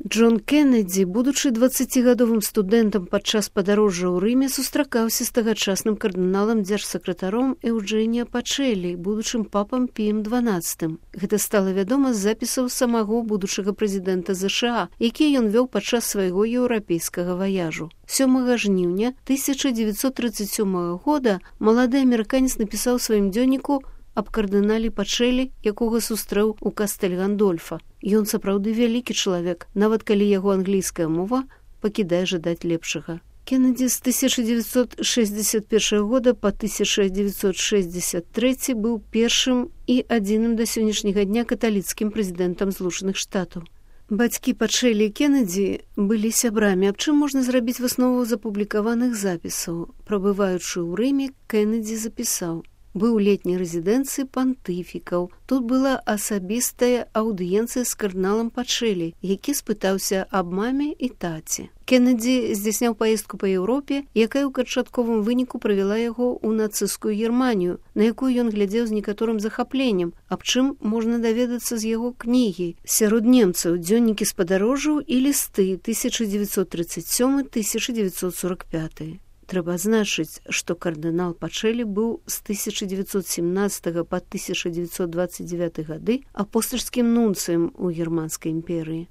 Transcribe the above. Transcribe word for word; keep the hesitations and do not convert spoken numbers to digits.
Джон Кеннеді, будучы дваццацігадовым студэнтам падчас падарожжа ў Рыме, сустракаўся з тагачасным кардыналам дзяржсакратаром Эўджэнія Пачэлі, будучым папам Піем дванаццатым. Гэта стала вядома з запісаў самого будучага прэзідэнта ЗША, які ён вёў падчас свайго еўрапейскага ваяжу. сёмага жніўня тысяча дзевяцьсот трыццаць сёмага года малады амерыканец напісаў сваім дзённіку аб кардынале Пачэлі, якога сустрэў у Кастэль Гандольфа. Ён сапраўды вялікі чалавек, нават калі яго англійская мова пакідае жадаць лепшага. Кеннеді з тысяча дзевяцьсот шэсцьдзесят першага года па тысяча дзевяцьсот шэсцьдзесят трэці быў першым і адзіным да сённяшняга дня каталіцкім прэзідэнтам Злучаных Штатаў. Бацькі Пачэлі і Кеннеді былі сябрамі, аб чым можна зрабіць выснову з апублікаваных запісаў. Прабываючы ў Рыме, Кеннеді запісаў: быў у летняй рэзідэнцыі пантыфікаў. Тут была асабістая аўдыенцыя з кардыналам Пачэлі, які спытаўся аб маме і таці. Кеннеді здзяйсняў паездку па Еўропе, якая ў канчатковым выніку правяла яго ў нацысцкую Германію, на якую ён глядзеў з некаторым захапленнем, аб чым можна даведацца з яго кнігі. Сярод немцаў дзённікі спадарожжаў і лісты тысяча дзевяцьсот трыццаць сёмы — тысяча дзевяцьсот сорак пяты. Трэба адзначыць, што кардынал Пачэлі быў з тысяча дзевяцьсот семнаццатага па тысяча дзевяцьсот дваццаць дзевяты гады апостальскім нунцыем у Германскай імперыі.